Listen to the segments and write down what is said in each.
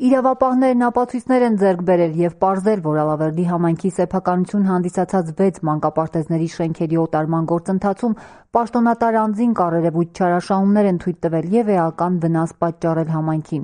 Իրավապահներն ապացույցներ են ձեռք բերել և պարզել, որ Ալավերդի համայնքի սեփականություն հանդիսացած 6 մանկապարտեզների շենքերի օտարման գործընթացում պաշտոնատար անձին կառերևույթ չարաշահումներ են թույլ տվել և էական վնաս պատճառել համայնքին։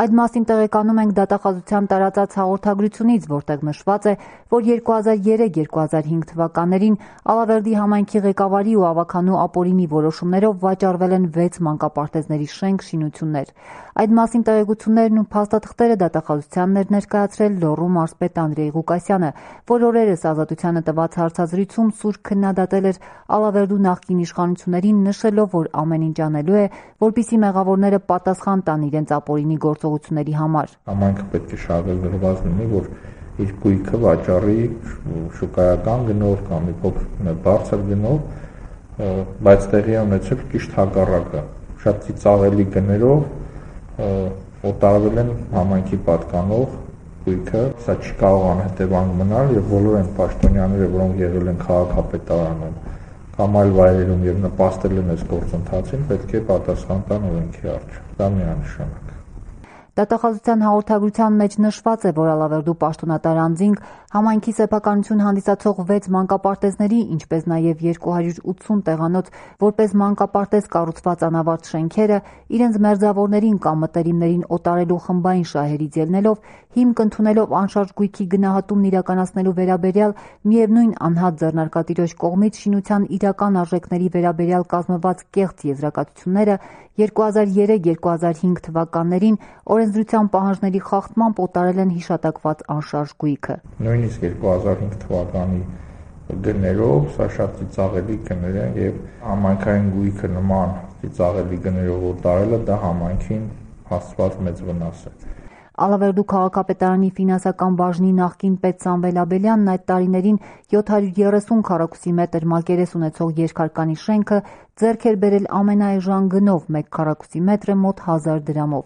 Այդ մասին տեղեկանում ենք դատախազության տարածած հաղորդագրությունից, որտեղ նշված է, որ 2003-2005 թվականներին Ալավերդի համայնքի ղեկավարի ու ավագանու Ապօրինի որոշումներով վաճառվել են 6 մանկապարտեզների շենք-շինություններ։ Այդ մասին տեղեկություններն ու փաստաթղթերը դատախազությանն էր ներկայացրել Լոռու մարզպետ Անդրեյ Ղուկասյանը, որ օրերս Ազատությանը տված հարցազրույցում սուր քննադատել էր Ալավերդու նախկին իշխանություններին, նշելով, որ ամեն ինչ անելու է, որպեսզի մեղավորները պատասխան տան իրենց ապօրինի գործողությունների համար։ Համայնքը պետք է շահագրգռված լինի, որ իր գույքը վաճառի շուկայական գնով կամ մի փոքր բարձր գնով, բայց տեղի է ունեցել ճիշտ հակառակը։ Շատ ծիծաղելի գներով օտարվել են համայնքի պատկանող գույքը, սա չի կարող անհետևանք մնալ եւ բոլոր այն պաշտոնյաները, որոնք եղել են քաղաքապետարանում կամ այլ վայրերում եւ նպաստել են այս գործընթացին, պետք է պատասխան տան օրենքի առջև։ Դա միանշանակ։ Դատախազության հաղորդագրության մեջ նշված է, որ Ալավերդու պաշտոնատար անձինք համայնքի սեփականություն հանդիսացող 6 մանկապարտեզների, ինչպես նաև 280 տեղանոց որպես մանկապարտեզ կառուցված անավարտ շենքերը իրենց մերձավորներին կամ մտերիմներին օտարելու խմբային շահերից ելնելով, հիմք ընդունելով անշարժ գույքի գնահատումն իրականացնելու վերաբերյալ միևնույն անհատ ձեռնարկատիրոջ կողմից շինության իրական արժեքների վերաբերյալ կազմված կեղծ եզրակացությունները 2003-2005 թվականներին օրենսդրության պահանջների խախտմամբ օտարել են հիշատակված անշարժ գույքը։ Նույնիսկ 2005 թվականի գներով սա շատ ծիծաղելի գներ են եւ համայնքային գույքը նման ծիծաղելի գներով օտարելը դա համայնքին հասցված մեծ վնաս է։ Ալավերդու քաղաքապետարանի ֆինանսական բաժնի նախկին պետ Սամվել Աբելյանն այդ տարիներին 730 քառակուսի մետր մակերես ունեցող երկհարկանի շենքը ձեռք էր բերել ամենաէժան գնով 1 քառակուսի մետրը մոտ 1000 դրամով։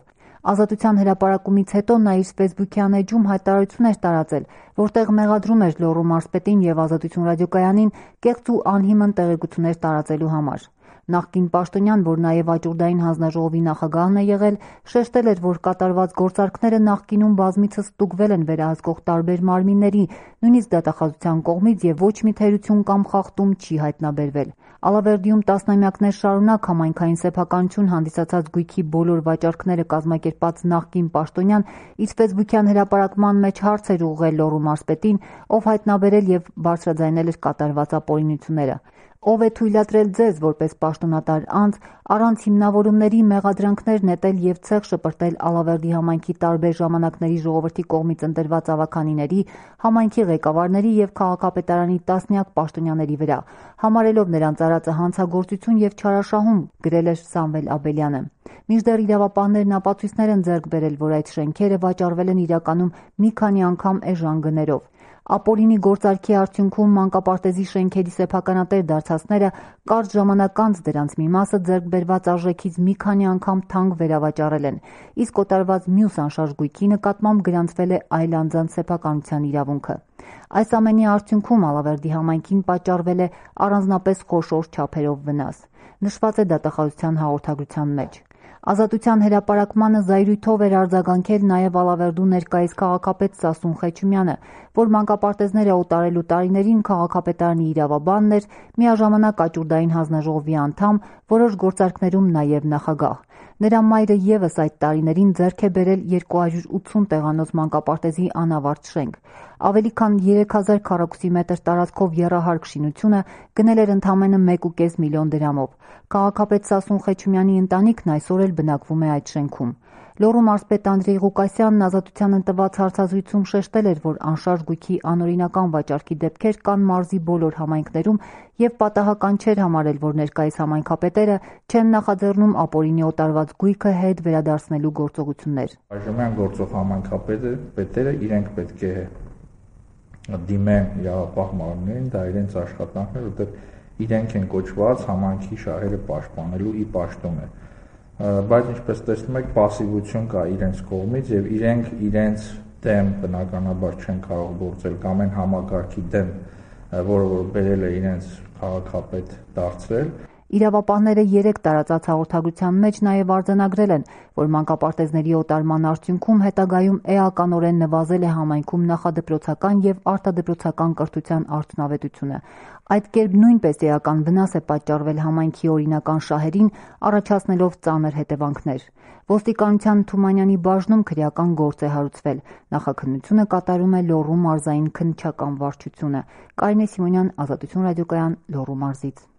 Ազատության հրապարակումից հետո նա իր ֆեյսբուքյան էջում հայտարարություն էր տարածել, որտեղ մեղադրում էր Լոռու մարզպետին և Ազատություն ռադիոկայանին կեղծ ու անհիմն տեղեկություններ տարածելու համար։ Նախկին պաշտոնյան, որ նաև Աճուրդային հանձնաժողովի նախագահն է եղել, շեշտել էր, որ կատարված գործարքները նախկինում բազմիցս ստուգվել են վերահսկող տարբեր մարմինների, նույնիսկ դատախազության կողմից և ոչ մի թերություն կամ խախտում չի հայտնաբերվել։ Ալավերդիում տասնամյակներ շարունակ համայնքային սեփականություն հանդիսացած գույքի բոլոր վաճառքները կազմակերպած նախկին պաշտոնյան իր ֆեյսբուքյան հրապարակման մեջ հարց էր ուղղել Լոռու մարզպետին, ով հայտնաբերել և բարձրաձայնել էր կատարված ապօրինությունները։ Ով է թույլատրել ձեզ, որպես պաշտոնատար անձ, առանց հիմնավորումների մեղադրանքներ նետել և ցեղ շպրտել Ալավերդի համայնքի տարբեր ժամանակների ժողովրդի կողմից ընտրված ավագանիների, համայնքի ղեկավարների և քաղաքապետարանի տասնյակ պաշտոնյաների վրա, համարելով նրանց արածը հանցագործություն և չարաշահում, գրել էր Սամվել Աբելյանը։ Մինչդեռ իրավապահներն ապացույցներ են ձեռք բերել, որ այդ շենքերը վաճառվել են իրականում մի քանի անգամ էժան գներով։ Ապօրինի գործարքի արդյունքում մանկապարտեզի շենքերի սեփականատեր դարձածները կարճ ժամանակ անց դրանց մի մասը ձեռք բերված արժեքից մի քանի անգամ թանկ վերավաճառել են, իսկ օտարված մյուս անշարժ գույքի նկատմամբ գրանցվել է այլ անձանց սեփականության իրավունքը։ Այս ամենի արդյունքում Ալավերդի համայնքին պատճառվել է առանձնապես խոշոր չափերով վնաս, նշված է դատախազության հաղորդագրության մեջ։ Ազատության հրապարակմանը զայրույթով էր արձագանքել նաև Ալավերդու ներկայիս քաղաքապետ Սասուն Խեչումյանը, որ մանկապարտեզները օտարելու տարիներին քաղաքապետարանի իրավաբանն էր, միաժամանակ Աճուրդային հանձնաժողովի անդամ, որոշ գործարքներում նաև նախագահ։ Նրա մայրը ևս այդ տարիներին ձեռք է բերել 280 տեղանոց մանկապարտեզի անավարտ շենք։ Ավելի քան 3000 քառակուսի մետր տարածքով եռահարկ շինությունը գնել էր ընդամենը 1.5 միլիոն դրամով։ Քաղաքապետ Սասուն Խեչումյանի ընտանիքն այսօր էլ բնակվում է այդ շենքում։ Լոռու մարզպետ Անդրեյ Ղուկասյանն Ազատությանն տված հարցազրույցում շեշտել էր, որ անշարժ գույքի անօրինական վաճառքի դեպքեր կան մարզի բոլոր համայնքներում և պատահական չէր համարել, որ ներկայիս համայնքապետերը չեն նախաձեռնում ապօրինի օտարված գույքը հետ վերադարձնելու գործողություններ։ Այժմյան գործող համայնքապետերը իրենք պետք է դիմեն իրավապահ մարմիններին, դա իրենց աշխատանքն է, որտեղ իրենք են կոչված համայնքի շահերը պաշտպանելու ի պաշտոն է։ Բայց ինչպես տեսնում եք, պասիվություն կա իրենց կողմից եւ իրենք իրենց դեմ բնականաբար չեն կարող գործել կամ այն համակարգի դեմ, որը որ բերել է իրենց քաղաքապետ դարձրել։ Իրավապահները 3 տարածած հաղորդագրության մեջ նաև արձանագրել են, որ մանկապարտեզների օտարման արդյունքում հետագայում էականորեն նվազել է համայնքում նախադպրոցական և արտադպրոցական կրթության արդյունավետությունը։ Այդ կերպ նույնպես էական վնաս է պատճառվել համայնքի օրինական շահերին, առաջացնելով ծանր հետևանքներ։ Ոստիկանության Թումանյանի բաժնում քրեական գործ է հարուցվել։ Նախաքննությունը կատարում է Լոռու մարզային քննչական վարչությունը։ Կարինե Սիմոնյան, Ազատություն ռադիոկայան, Լոռու մարզից։